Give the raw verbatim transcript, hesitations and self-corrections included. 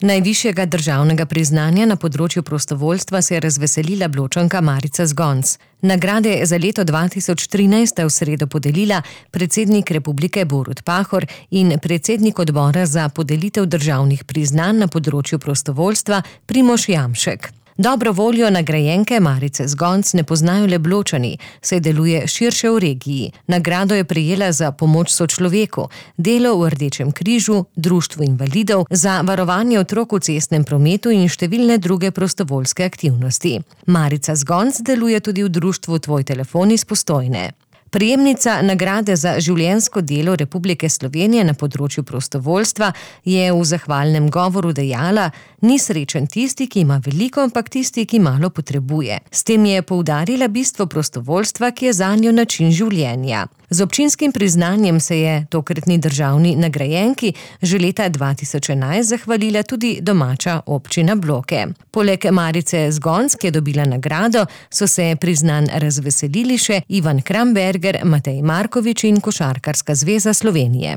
Najvišjega državnega priznanja na področju prostovoljstva se je razveselila Bločanka Marica Zgonc. Nagrade za leto dva tisoč trinajst sta v sredo podelila predsednik republike Borut Pahor in predsednik odbora za podelitev državnih priznanj na področju prostovoljstva Primož Jamšek. Dobro voljo nagrajenke Marice Zgonc ne poznajo le Bločani, saj deluje širše v regiji. Nagrado je prejela za pomoč sočloveku, delo v Rdečem križu, društvu invalidov, za varovanje otrok v cestnem prometu in številne druge prostovoljske aktivnosti. Marica Zgonc deluje tudi v društvu Tvoj telefon iz Postojne. Prejemnica nagrade za življenjsko delo Republike Slovenije na področju prostovoljstva je v zahvalnem govoru dejala: "Ni srečen tisti, ki ima veliko, ampak tisti, ki malo potrebuje." S tem je poudarila bistvo prostovoljstva, ki je zanjo način življenja. Z občinskim priznanjem se je tokratni državni nagrajenki že leta dva tisoč enajst zahvalila tudi domača občina Bloke. Poleg Marice Zgonc, ki je dobila nagrado, so se priznanj razveselili še Ivan Kramberger, Matej Markovič in Košarkarska zveza Slovenije.